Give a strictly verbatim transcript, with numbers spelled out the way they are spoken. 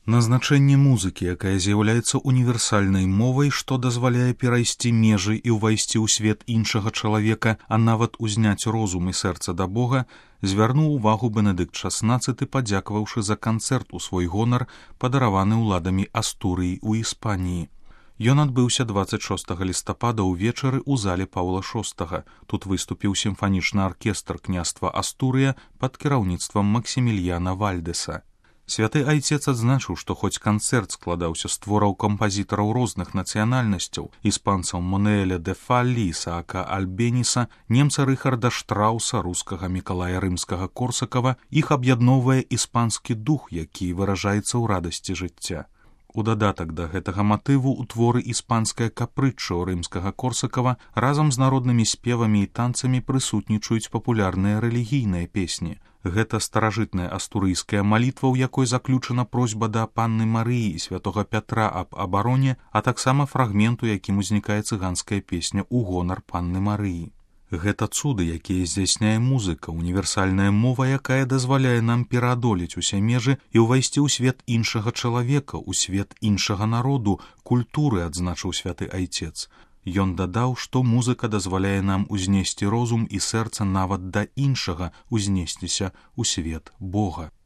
Назначэнне музыкі, якая з'яўляецца універсальнай мовай, што дазваляе перайсці межы і ўвайсці ў свет іншага чалавека, а нават узняць розум і сэрца да Бога, звярнуў увагу Бенедыкт шаснаццаты, падзякаваўшы за канцэрт у свой гонар, падараваны ўладамі Астурыі ў Іспаніі. Ён адбыўся дваццаць шостага лістапада ўвечары ў зале Паўла шостага. Тут выступіў сімфанічны аркестр княства Астурыя пад кіраўніцтвам Максімільяна Вальдэса. Святы айцец адзначыў, што хоць канцэрт складаўся з твораў кампазітараў розных нацыянальнасцяў, іспанцаў Монеэля де Фаллі, Ісаака Альбеніса, немца Рыхарда Штрауса, рускага Мікалая Рымскага-Корсакава, іх аб'ядноўвае іспанскі дух, які выражаецца ў радасці жыцця. У дадатак да гэтага матыву ў творы іспанскае капрыччо Рымскага-Корсакава разам з народнымі спевамі і танцамі прысутнічаюць папулярныя рэлігійныя песні. Гэта старажытная астурыйская малітва, у якой заключана просьба да панны Марыі і святога Пятра аб абароне, а таксама фрагмент, у якім узнікае цыганская песня ў гонар панны Марыі. Гэта цуды, якія здзяйсняе музыка, універсальная мова, якая дазваляе нам пераадолець усе межы і ўвайсці ў свет іншага чалавека, у свет іншага народу, культуры, адзначыў святы айцец. Ён дадаў, што музыка дазваляе нам узнесці розум і сэрца нават да іншага, узнесціся ў свет Бога.